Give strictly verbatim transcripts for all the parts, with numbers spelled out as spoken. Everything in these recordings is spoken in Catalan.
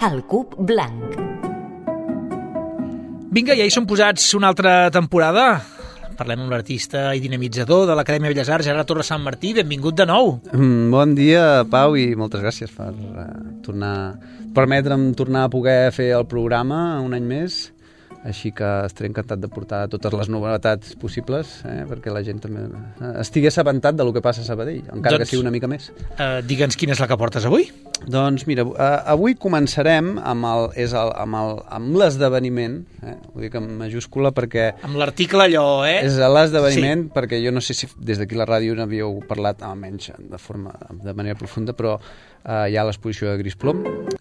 El Cub Blanc. Vinga, ja hi som posats una altra temporada. Parlem amb l'artista i dinamitzador de l'Acadèmia Belles Arts, Gerard Torres Sant Martí. Benvingut de nou. Mm, bon dia, Pau, i moltes gràcies per uh, tornar, permetre'm tornar a poder fer el programa un any més. Així que estaré encantat de portar totes les novetats possibles, eh, perquè la gent també estigui assabentat del que passa a Sabadell, encara doncs, que sigui una mica més. Uh, Digue'ns quina és la que portes avui. Doncs mira, uh, avui començarem amb el, és el, amb el, amb l'esdeveniment, eh, ho dic en majúscula perquè... Amb l'article allò, eh? És l'esdeveniment, sí. Perquè jo no sé si des d'aquí la ràdio n'havíeu parlat, almenys de, forma, de manera profunda, però uh, hi ha l'exposició de Gris Plom,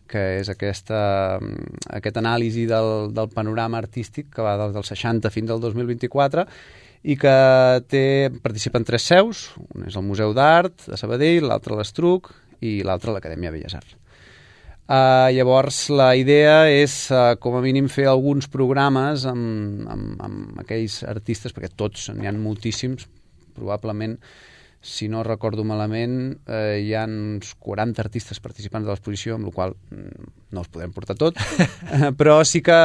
que és aquesta, aquest anàlisi del, del panorama artístic que va des dels seixanta fins al dos mil vint-i-quatre i que té, participen tres seus, un és el Museu d'Art de Sabadell, l'altre l'Estruc i l'altre l'Acadèmia Belles Arts. Uh, llavors la idea és uh, com a mínim fer alguns programes amb, amb, amb aquells artistes, perquè tots n'hi ha moltíssims, probablement, si no recordo malament, eh, hi ha uns quaranta artistes participants de l'exposició, amb la qual no els podrem portar tot, però sí que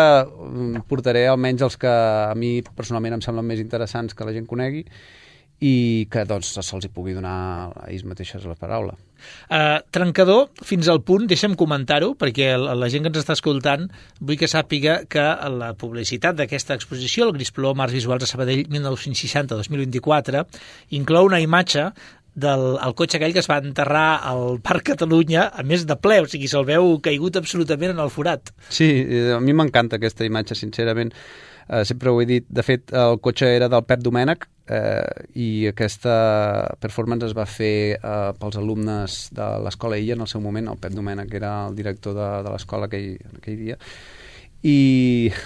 portaré almenys els que a mi personalment em semblen més interessants que la gent conegui i que doncs se'ls hi pugui donar a ells mateixes la paraula. Uh, trencador, fins al punt, deixa'm comentar-ho, perquè la, la gent que ens està escoltant vull que sàpiga que la publicitat d'aquesta exposició, el Gris Plom Arts Visuals de Sabadell mil nou-cents seixanta a dos mil vint-i-quatre, inclou una imatge del el cotxe aquell que es va enterrar al Parc Catalunya, a més de ple, o sigui, se'l veu caigut absolutament en el forat. Sí, a mi m'encanta aquesta imatge, sincerament. Uh, sempre ho he dit. De fet, el cotxe era del Pep Domènech eh, i aquesta performance es va fer eh, pels alumnes de l'Escola Illa en el seu moment. El Pep Domènech era el director de, de l'escola aquell, aquell dia i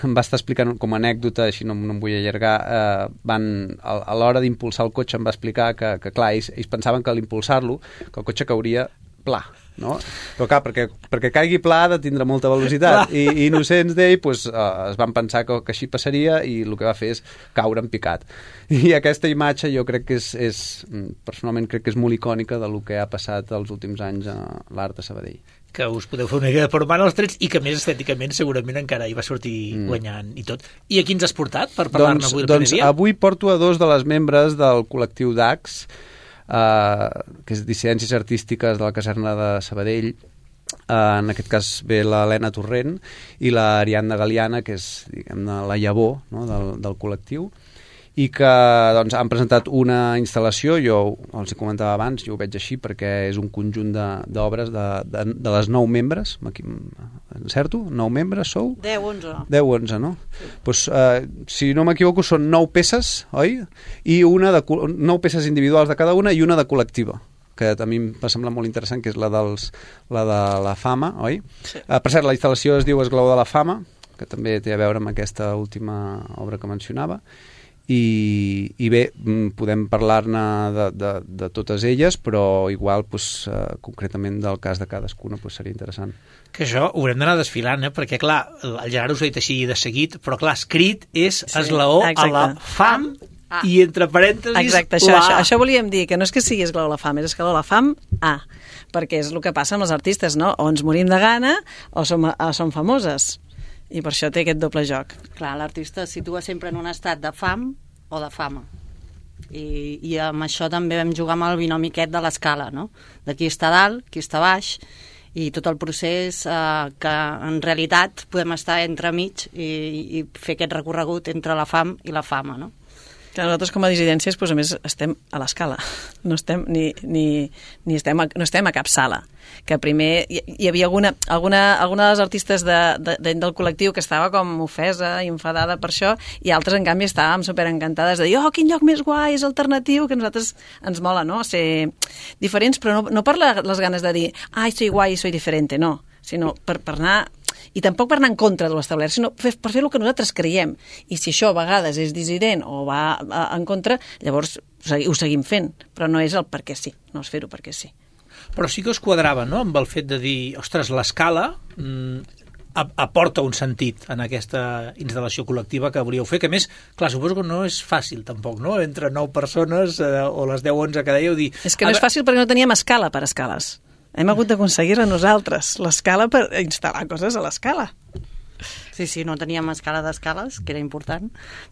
em va estar explicant com a anècdota, així no, no em vull allargar, eh, van, a, a l'hora d'impulsar el cotxe em va explicar que, que clar, ells, ells pensaven que a l'impulsar-lo que el cotxe cauria pla, no? Però clar, perquè, perquè caigui pla ha de tindre molta velocitat i, i innocents d'ell pues, uh, es van pensar que, que així passaria i el que va fer és caure en picat. I aquesta imatge jo crec que és, és personalment crec que és molt icònica del que ha passat els últims anys a l'art de Sabadell. Que us podeu fer una idea de formar els trets i que més estèticament segurament encara hi va sortir mm. guanyant i tot. I a qui ens has portat per parlar-ne doncs, avui el doncs primer dia? Avui porto a dos de les membres del col·lectiu D A X, Uh, que és Dissidències Artístiques de la Caserna de Sabadell. Uh, en aquest cas ve l'Helena Torrent i l'Ariadna Galiana, que és, diguem-ne, la llavor, no, del, del col·lectiu, i que doncs, han presentat una instal·lació, jo els hi comentava abans, jo ho veig així perquè és un conjunt d'obres de, de, de, de les nou membres, encerto? Nou membres sou? deu, onze. deu, onze, no? Sí. Pues, uh, si no m'equivoco són nou peces, oi? I una de, nou peces individuals de cada una i una de col·lectiva, que a mi em va semblar molt interessant, que és la, dels, la de la fama, oi? Sí. Uh, per cert, la instal·lació es diu Esglaó de la fama, que també té a veure amb aquesta última obra que mencionava, I, i bé, podem parlar-ne de, de, de totes elles, però igual pues, uh, concretament del cas de cadascuna pues, seria interessant. Que això ho haurem d'anar desfilant, eh? Perquè clar, el Gerard us ho ha dit així de seguit, però clar, escrit és sí, esglaó exacte. A la fam ah. i entre parèntesis exacte, això, això, això volíem dir, que no és que sigui esglaó a la fam, és esglaó a la fam A, perquè és el que passa amb els artistes, no? O ens morim de gana o som, o som famoses. I per això té aquest doble joc. Clar, l'artista es situa sempre en un estat de fam o de fama. I, i amb això també vam jugar amb el binomi aquest de l'escala, no? De qui està dalt, qui està baix, i tot el procés eh, que en realitat podem estar entremig i, i fer aquest recorregut entre la fam i la fama, no? Que nosaltres com a dissidències, doncs, a més, estem a l'escala. No estem ni, ni, ni estem a, no estem a cap sala. Que primer hi, hi havia alguna, alguna, alguna de les artistes de, de, de, del col·lectiu que estava com ofesa i enfadada per això, i altres, en canvi, estàvem superencantades de dir, oh, quin lloc més guai, és alternatiu, que a nosaltres ens mola, no?, ser diferents, però no, no per les ganes de dir, ai, soy guai, soy diferente, no, sinó per, per anar... I tampoc per anar en contra de l'establert, sinó per fer el que nosaltres creiem. I si això a vegades és dissident o va en contra, llavors ho seguim fent. Però no és el perquè sí, no és fer-ho perquè sí. Però sí que us quadrava, no?, amb el fet de dir, ostres, l'escala mmm, aporta un sentit en aquesta instal·lació col·lectiva que volíeu fer, que a més, clar, suposo que no és fàcil tampoc, no?, entre nou persones eh, o les deu o onze que dèieu dir... És que no és fàcil perquè no teníem escala per escales. Hem hagut d'aconseguir-la nosaltres, l'escala per instal·lar coses a l'escala. Sí, sí, no teníem escala d'escales, que era important,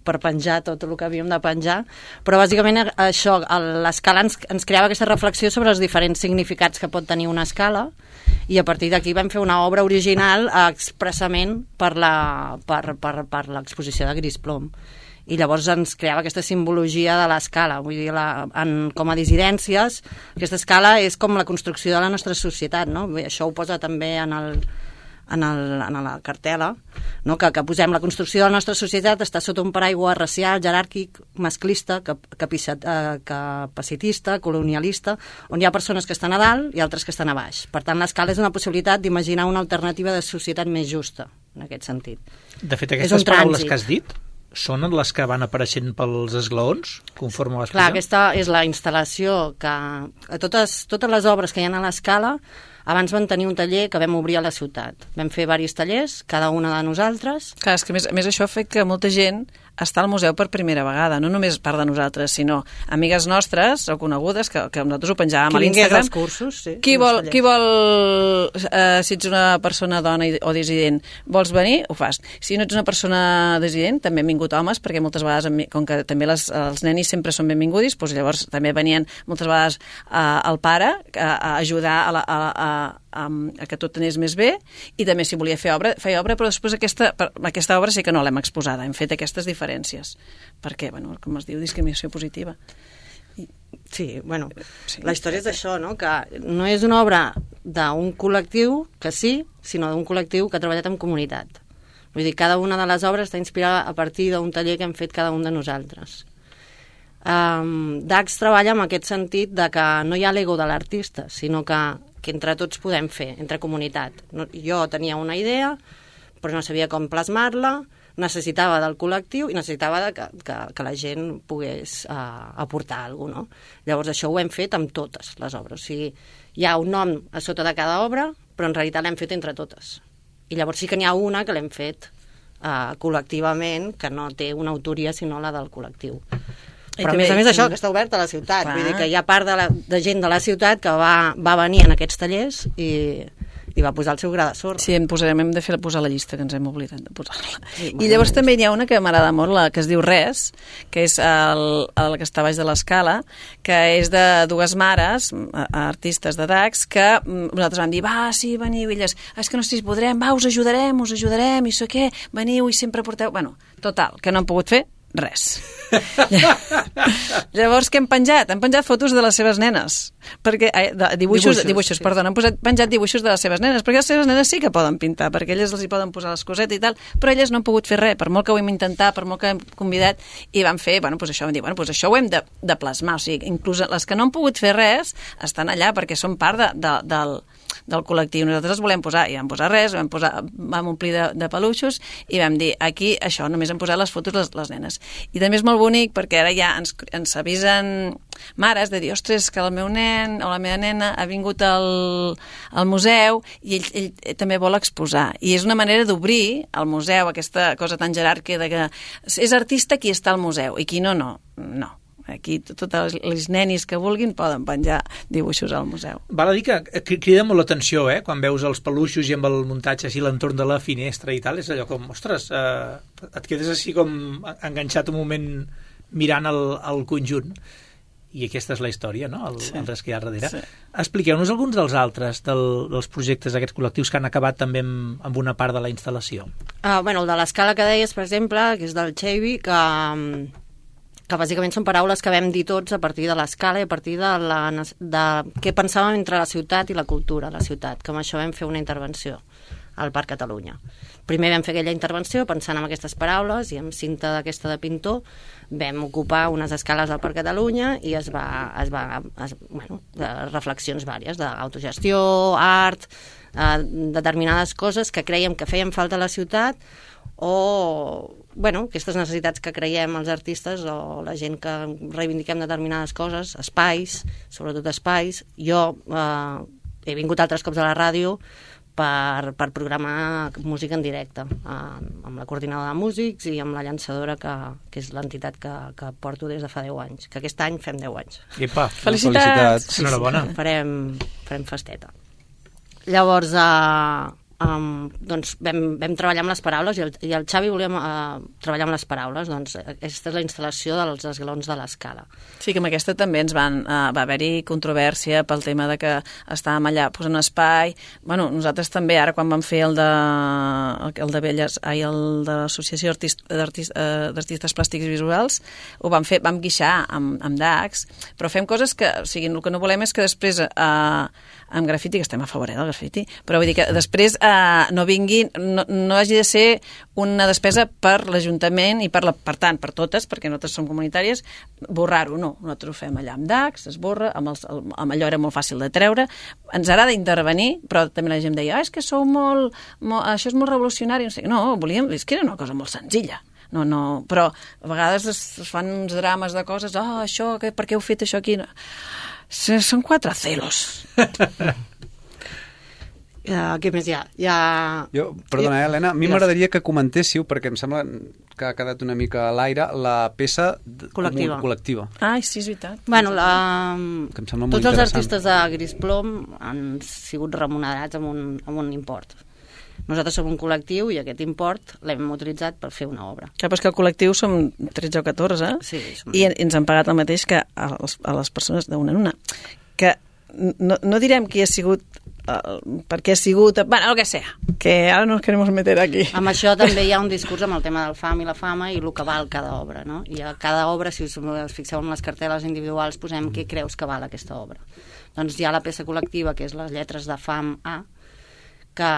per penjar tot el que havíem de penjar, però bàsicament això, l'escala ens, ens creava aquesta reflexió sobre els diferents significats que pot tenir una escala, i a partir d'aquí vam fer una obra original expressament per la, per, per, per l'exposició de Gris Plom. I llavors ens creava aquesta simbologia de l'escala, vull dir, la, en, com a dissidències, aquesta escala és com la construcció de la nostra societat, no? Això ho posa també en el en, el, en la cartel·la, no? que, que posem la construcció de la nostra societat està sota un paraigua racial, jeràrquic, masclista, cap, capicat, eh, capacitista, colonialista, on hi ha persones que estan a dalt i altres que estan a baix. Per tant, l'escala és una possibilitat d'imaginar una alternativa de societat més justa, en aquest sentit. De fet, aquestes paraules que has dit són les que van apareixent pels esglaons, conforme vas Clar, posar? aquesta és la instal·lació que... A totes, totes les obres que hi ha a l'escala, abans van tenir un taller que vam obrir a la ciutat. Vam fer diversos tallers, cada una de nosaltres. Clar, és que a més, a més això ha fet que molta gent està al museu per primera vegada, no només part de nosaltres, sinó amigues nostres o conegudes, que, que nosaltres ho penjàvem qui a l'Instagram. Qui cursos, sí. Qui vol, qui vol eh, si ets una persona dona o dissident, vols venir? Ho fas. Si no ets una persona dissident, també han vingut homes, perquè moltes vegades, com que també les, els nenis sempre són benvingudis, doncs llavors també venien moltes vegades eh, el pare a, a ajudar a, la, a, a, a, a que tot anés més bé, i també si volia fer obra, feia obra, però després aquesta, aquesta obra sí que no l'hem exposada, hem fet aquestes diferències. Perquè, bueno, com es diu, discriminació positiva. Sí, bueno, sí, la història és això, no? Que no és una obra d'un col·lectiu, que sí, sinó d'un col·lectiu que ha treballat en comunitat. Vull dir, cada una de les obres està inspirada a partir d'un taller que hem fet cada un de nosaltres. Um, Dax treballa en aquest sentit de que no hi ha l'ego de l'artista, sinó que, que entre tots podem fer, entre comunitat. No, jo tenia una idea, però no sabia com plasmar-la, necessitava del col·lectiu i necessitava de que, que, que la gent pogués uh, aportar alguna cosa, no? Llavors això ho hem fet amb totes les obres. O sigui, hi ha un nom a sota de cada obra, però en realitat l'hem fet entre totes. I llavors sí que n'hi ha una que l'hem fet uh, col·lectivament, que no té una autoria sinó la del col·lectiu. Però a més a més això, que està obert a la ciutat. Clar. Vull dir que hi ha part de, la, de gent de la ciutat que va, va venir en aquests tallers i... i va posar el seu gra de sorra. Sí, en posarem, hem de fer posar la llista, que ens hem oblidat de posar-la. Sí, I llavors també hi ha una que m'agrada molt, la que es diu Res, que és el, el que està baix de l'escala, que és de dues mares, artistes de Dax, que nosaltres vam dir, va, sí, veniu, i elles, és que no sé si podrem, va, us ajudarem, us ajudarem, i sé què, veniu i sempre porteu... Bueno, total, que no han pogut fer res. Llavors, què hem penjat? Hem penjat fotos de les seves nenes. Perquè, eh, de, dibuixos, dibuixos, dibuixos sí. perdona, hem posat, penjat dibuixos de les seves nenes, perquè les seves nenes sí que poden pintar, perquè elles els hi poden posar les cosetes i tal, però elles no han pogut fer res, per molt que ho hem intentat, per molt que hem convidat, i van fer, bueno, doncs això, vam dir, bueno, doncs això ho hem de, de plasmar, o sigui, inclús les que no han pogut fer res estan allà perquè són part de, de, del, del col·lectiu. Nosaltres els volem posar, i vam posar res, vam, posar, vam omplir de, de peluixos, i vam dir, aquí, això, només hem posat les fotos les, les nenes. I també és molt bonic perquè ara ja ens, ens avisen mares de dir, ostres, que el meu nen o la meva nena ha vingut al, al museu i ell, ell també vol exposar. I és una manera d'obrir al museu aquesta cosa tan jeràrquica de que és artista qui està al museu i qui no, no. No. Aquí totes les nenis que vulguin poden penjar dibuixos al museu. Val a dir que crida molt l'atenció, eh? Quan veus els peluixos i amb el muntatge així l'entorn de la finestra i tal, és allò com, ostres, eh, et quedes així com enganxat un moment mirant el, el conjunt. I aquesta és la història, no? El, sí. el res que hi ha darrere. Sí. Expliqueu-nos alguns dels altres del, dels projectes d'aquests col·lectius que han acabat també amb, amb una part de la instal·lació. Ah, bueno, el de l'escala que deies, per exemple, que és del Xavi, que... que bàsicament són paraules que vam dir tots a partir de l'escala i a partir de, la, de què pensàvem entre la ciutat i la cultura de la ciutat, que amb això vam fer una intervenció al Parc Catalunya. Primer vam fer aquella intervenció pensant en aquestes paraules i amb cinta d'aquesta de pintor vam ocupar unes escales al Parc Catalunya i es va, es va es, bueno, de reflexions vàries d'autogestió, art, eh, determinades coses que creiem que feien falta a la ciutat o bueno, aquestes necessitats que creiem els artistes o la gent que reivindiquem determinades coses, espais, sobretot espais. Jo eh, he vingut altres cops a la ràdio per, per programar música en directe, eh, amb la coordinadora de músics i amb la llançadora, que, que és l'entitat que, que porto des de fa deu anys, que aquest any fem deu anys. Epa, felicitats! Enhorabona. Sí, sí, farem, farem festeta. Llavors, uh, um, doncs vam, vam treballar amb les paraules i el, i el Xavi volíem uh, treballar amb les paraules. Doncs aquesta és la instal·lació dels esglaons de l'escala. Sí, que amb aquesta també ens van, uh, va haver-hi controvèrsia pel tema de que estàvem allà posant espai. Bueno, nosaltres també, ara quan vam fer el de, el de Belles, ai, el de l'Associació d'Artistes Plàstics Visuals, ho vam fer, vam guixar amb, amb D A X, però fem coses que, o sigui, el que no volem és que després uh, amb grafiti, que estem a favor eh, del grafiti, però vull dir que després eh, no vingui, no, no hagi de ser una despesa per l'Ajuntament i per, la, per tant, per totes, perquè nosaltres som comunitàries, borrar-ho, no. Nosaltres ho fem allà amb D A X, es borra, amb, els, amb allò era molt fàcil de treure, ens agrada intervenir, però també la gent deia, ah, és que sou molt, molt això és molt revolucionari, no sé, no, volíem, és que era una cosa molt senzilla. No, no, però a vegades es, es fan uns drames de coses, ah, oh, això, que, per què heu fet això aquí? No. Són quatre celos. Uh, què més hi ha? Hi ha... Jo, perdona, eh, Helena, a mi m'agradaria que comentéssiu, perquè em sembla que ha quedat una mica a l'aire, la peça col·lectiva. col·lectiva. Ai, sí, és veritat. Bueno, la... que em sembla molt tots els interessant. artistes de Gris Plom han sigut remunerats amb un, amb un import. Nosaltres som un col·lectiu i aquest import l'hem utilitzat per fer una obra. Clar, però és que el col·lectiu som tretze o catorze Sí, som... i ens han pagat el mateix que a les, a les persones d'una en una. Que no, no direm qui ha sigut, uh, per què ha sigut, bueno, el que sea, que ara no ens queremos meter aquí. Amb això també hi ha un discurs amb el tema del fam i la fama i el que val cada obra, no? I a cada obra, si us, us fixeu en les cartel·les individuals, posem què creus que val aquesta obra. Doncs hi ha la peça col·lectiva, que és les lletres de fam A, que...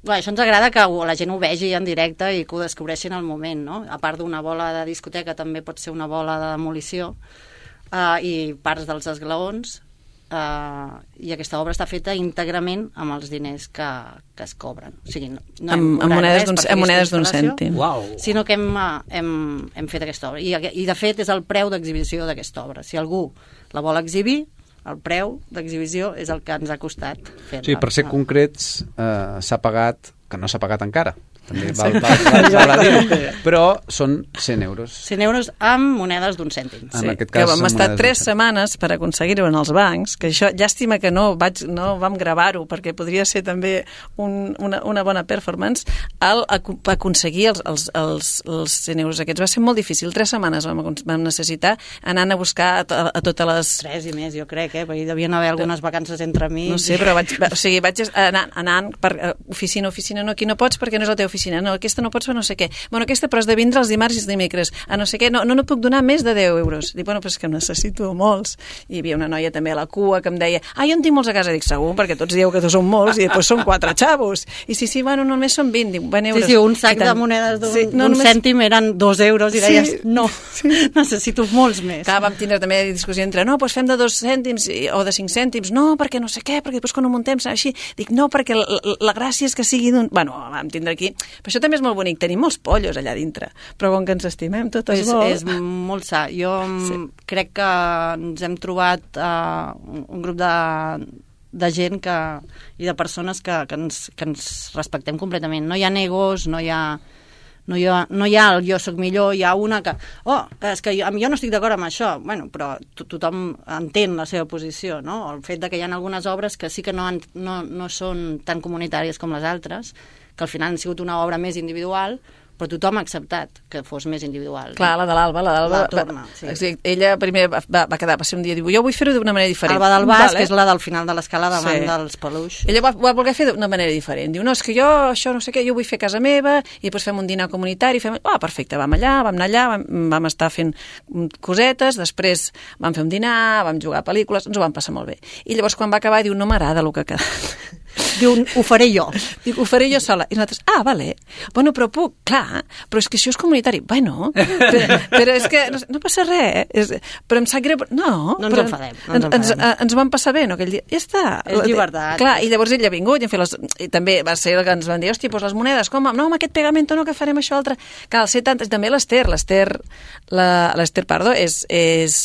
Bé, això ens agrada que la gent ho vegi en directe i que ho descobreixin al moment, no? A part d'una bola de discoteca, també pot ser una bola de demolició uh, i parts dels esglaons, uh, i aquesta obra està feta íntegrament amb els diners que, que es cobren. O sigui, no, no hem amb, amb monedes d'un monedes d'un cèntim. Uau. Sinó que hem, uh, hem, hem fet aquesta obra. I, I, de fet, és el preu d'exhibició d'aquesta obra. Si algú la vol exhibir, el preu d'exhibició és el que ens ha costat fer-la. Sí, per ser concrets, eh, s'ha pagat, que no s'ha pagat encara, també val, val, val, val a dir, però són cent euros. cent euros amb monedes d'un cèntim. En Sí, aquest que cas, vam són estar monedes tres d'un setmanes per aconseguir-ho en els bancs, que això, llàstima que no, vaig, no vam gravar-ho, perquè podria ser també un, una, una bona performance, al ac aconseguir els, els, els, els cent euros aquests. Va ser molt difícil, tres setmanes vam, vam necessitar anant a buscar a, a, a totes les... Tres i més, jo crec, eh? Perquè hi devien haver algunes vacances entre mi. No sé, però vaig, o sigui, vaig anant, anant per oficina, oficina, no, aquí no pots perquè no és la teva oficina, no, aquesta no pots fer no sé què. Bueno, aquesta però has de vindre els dimarts i els dimecres, a no sé què, no, no, no puc donar més de deu euros. Dic, bueno, però és que necessito molts. I hi havia una noia també a la cua que em deia, ah, jo en tinc molts a casa. Dic, segur, perquè tots dieu que són molts i després són quatre xavos. I sí, sí, bueno, només són vint, dic, vint euros. Sí, sí, un sac de monedes d'un sí, no, només... cèntim eren dos euros i deies, sí, no, sí. necessito molts més. Clar, vam tindre també discussió entre, no, doncs fem de dos cèntims o de cinc cèntims, no, perquè no sé què, perquè després quan ho muntem serà així. Dic, no, perquè la, la, la gràcia és que sigui d'un... Bueno, vam tindre aquí... Però això també és molt bonic, tenim molts pollos allà dintre, però com que ens estimem totes és, molt... És molt sa. Jo sí. crec que ens hem trobat uh, un grup de, de gent que, i de persones que, que, ens, que ens respectem completament. No hi ha egos, no hi ha... No hi, ha, no hi ha el jo soc millor, hi ha una que... Oh, és que jo, jo no estic d'acord amb això. Bueno, però to tothom entén la seva posició, no? El fet de que hi ha algunes obres que sí que no, han, no, no són tan comunitàries com les altres, que al final han sigut una obra més individual, però tothom ha acceptat que fos més individual. Clar, la de l'Alba, la d'Alba... La torna, sí. sí. Ella primer va, va quedar, va ser un dia, diu, jo vull fer-ho d'una manera diferent. Alba del Bas, vale. que és la del final de l'escala davant sí. dels peluix. Ella va, va voler fer d'una manera diferent. Diu, no, és que jo, això no sé què, jo vull fer a casa meva, i després fem un dinar comunitari, fem... Ah, perfecte, vam allà, vam anar allà, vam, vam estar fent cosetes, després vam fer un dinar, vam jugar a pel·lícules, ens ho vam passar molt bé. I llavors, quan va acabar, diu, no m'agrada el que ha quedat. Diu, ho faré jo. Dic, ho faré jo sola. I nosaltres, ah, vale. Bueno, però puc, clar, però és que això és comunitari. Bueno, però, però és que no, no passa res. És, però em sap greu... No, no ens però enfadem. No ens, ens, ens, ens vam passar bé, no? Aquell dia. Ja està. És llibertat. Clar, i llavors ell ha vingut i, hem fet les, i també va ser el que ens van dir, hòstia, doncs les monedes, com? No, amb aquest pegamento no, que farem això altre. Clar, al ser tant... També l'Ester, l'Ester, l'Ester Pardo, és, és...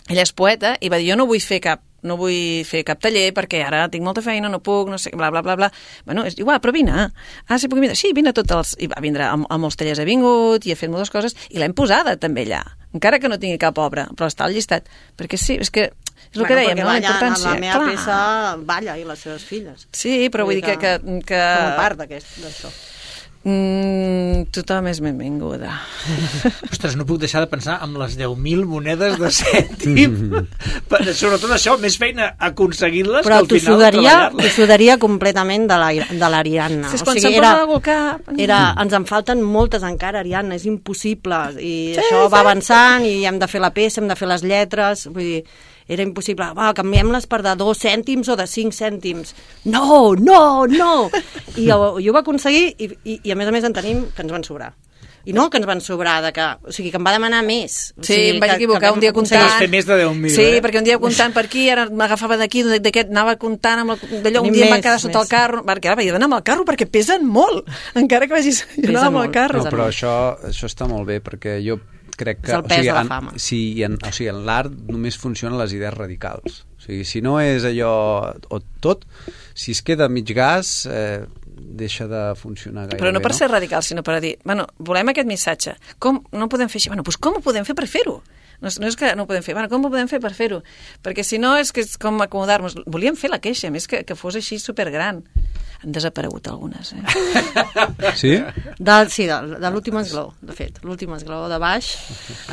Ella és poeta i va dir, jo no vull fer cap no vull fer cap taller perquè ara tinc molta feina, no puc, no sé, bla, bla, bla, bla. Bueno, és igual, però vine. Ah, sí, puc vindre? Sí, vine a tots els... I va vindre a, a molts tallers, ha vingut i ha fet moltes coses i l'hem posada també allà, encara que no tingui cap obra, però està al llistat. Perquè sí, és que és el bueno, que dèiem, no? La importància. La meva Clar. peça balla i les seves filles. Sí, però vull dir que... que, que... Com a part d'això. Mm, tothom és benvinguda. Ostres, no puc deixar de pensar en les deu mil monedes de cèntim. Per, sobretot això, més feina aconseguir-les però que al final sudaria, treballar-les. t'ho sudaria completament de la- de l'Ariadna. Si és O quan sigui, se'm era, posa algú al cap... era, ens en falten moltes encara, Ariadna, és impossible. I Sí, això sí. va avançant i hem de fer la peça, hem de fer les lletres, vull dir, era impossible. Va, canviem-les per de dos cèntims o de cinc cèntims. No, no, no! I jo, jo ho va aconseguir i, i, i a més a més en tenim que ens van sobrar. I no que ens van sobrar, de que, o sigui, que em va demanar més. O Sí, sigui, em vaig que- equivocar que vam un dia aconseguir- comptant. Vas fer més de deu mil, Sí, eh? perquè un dia comptant per aquí, ara m'agafava d'aquí, d'aquest, anava comptant amb el, d'allò, un Tenim dia em va més, quedar sota més. el carro, perquè ara vaig anar amb el carro perquè pesen molt, encara que vagis jo Pesen anava amb el molt, carro. No, però això, això està molt bé, perquè jo crec que... És el pes o sigui, de la en, fama. Sí, en, o sigui, en l'art només funcionen les idees radicals. O sigui, si no és allò o tot, si es queda mig gas, eh, deixa de funcionar gaire Però no bé, per ser radical, sinó per dir, bueno, volem aquest missatge. Com no ho podem fer així? Bueno, doncs com ho podem fer per fer-ho? No és, no és que no ho podem fer, bueno, com ho podem fer per fer-ho? Perquè si no és que és com acomodar-nos. Volíem fer la queixa, a més que, que fos així supergran. Han desaparegut algunes, eh? Sí? Del, sí, de, de l'últim esglaó, de fet. L'últim esglaó de baix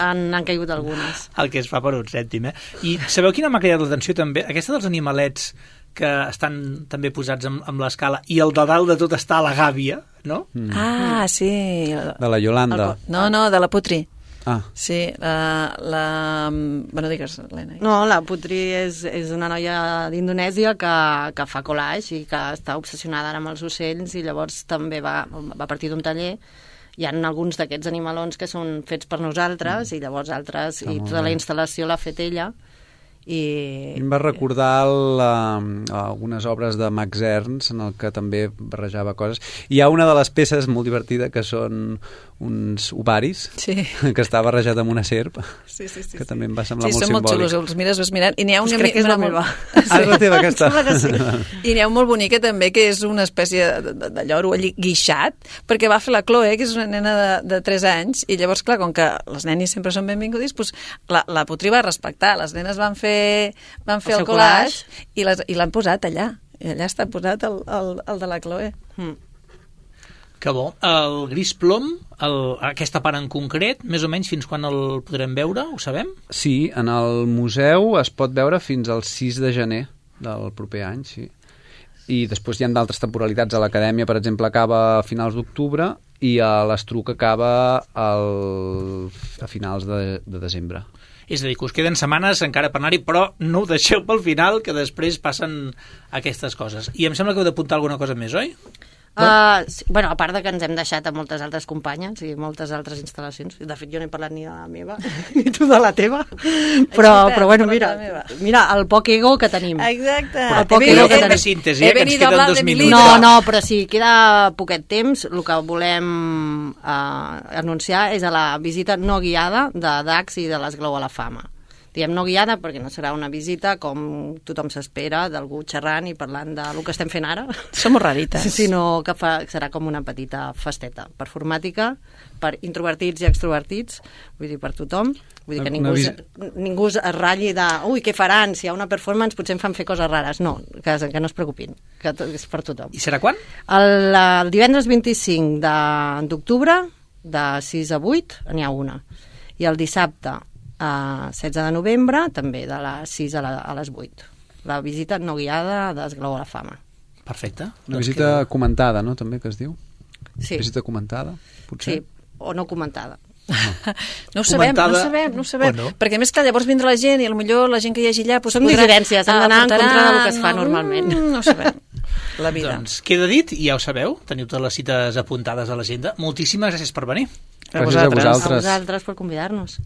han, han caigut algunes. El que es fa per un cèntim, eh? I sabeu quina m'ha cridat l'atenció també? Aquesta dels animalets que estan també posats amb, amb l'escala i el de dalt de tot està a la gàbia, no? Mm. Ah, sí. De la Yolanda. No, no, de la Putri. Ah, Sí, la... la... Bueno, digues, Helena. No, la Putri és, és una noia d'Indonèsia que, que fa collage i que està obsessionada ara amb els ocells i llavors també va, va partir d'un taller. Hi ha alguns d'aquests animalons que són fets per nosaltres mm. i llavors altres, Ah, i molt tota la bé. instal·lació l'ha fet ella. I... em va recordar la, algunes obres de Max Ernst en el que també barrejava coses. Hi ha una de les peces molt divertida que són uns ovaris Sí. que està barrejat amb una serp, Sí, sí, sí, que sí. també em va semblar Sí, molt són molt simbòlic. xulos, els mires, vas mirant, i n'hi ha Pues una... crec que és la molt- meva. Ah, és la teva, aquesta? Em sembla que sí. I n'hi ha un molt bonica també, que és una espècie de, de, de lloro allí guixat, perquè va fer la Chloe, que és una nena de, de tres anys, i llavors, clar, com que les nenis sempre són benvingudis, doncs la, la Putri va respectar. Les nenes van fer, van fer El el, seu collage, i les- i l'han posat allà. I allà està posat el, el, el de la Chloe. Mm. Que bo. El gris plom, el, aquesta part en concret, més o menys fins quan el podrem veure, ho sabem? Sí, en el museu es pot veure fins al sis de gener del proper any, sí. I després hi ha d'altres temporalitats. A l'Acadèmia, per exemple, acaba a finals d'octubre i a l'Estruc acaba al, a finals de, de desembre. És a dir, que us queden setmanes encara per anar-hi, però no ho deixeu pel final, que després passen aquestes coses. I em sembla que heu d'apuntar alguna cosa més, oi? Uh, sí, bueno, a part de que ens hem deixat a moltes altres companyes i moltes altres instal·lacions, de fet jo no he parlat ni de la meva ni tu de la teva, però, veritat, però bueno, parlat mira, de la meva. mira el poc ego que tenim. Exacte. Però poc He ego venit- que he tenim. de síntesi, eh, He que ens venido a queden hablar dos de mi minuts. No, no, però si queda poquet temps, el que volem uh, anunciar és a la visita no guiada de Dax i de l'Esglaó a la Fama. Diem no guiada perquè no serà una visita com tothom s'espera, d'algú xerrant i parlant del que estem fent ara, Som rarites. sinó que fa, serà com una petita festeta performàtica per introvertits i extrovertits, vull dir, per tothom. Vull dir que Una ningú, vis- es, ningú es ratlli de ui, què faran? Si hi ha una performance potser em fan fer coses rares. No, que, que no es preocupin, que to- és per tothom. I serà quan? El, el divendres vint-i-cinc de- d'octubre, de sis a vuit, n'hi ha una. I el dissabte, a setze de novembre, també de les sis a, la, a les vuit. La visita no guiada d'Esglaó a la Fama. Perfecte. Una Doncs visita queda- comentada, no?, també, que es diu? Sí, Visita comentada, potser? sí, o no comentada. No ho sabem, no ho Comentada, sabem, no ho sabem. o no? Perquè a més que llavors vindrà la gent i potser la gent que hi hagi allà... Doncs Són podrà- dissidències, han d'anar en aportarà- contra del que es fa no, normalment. mm, No ho sabem. La vida. Doncs queda dit, i ja ho sabeu, teniu totes les cites apuntades a l'agenda. Moltíssimes gràcies per venir. A Gràcies a vosaltres. A vosaltres. vosaltres per convidar-nos.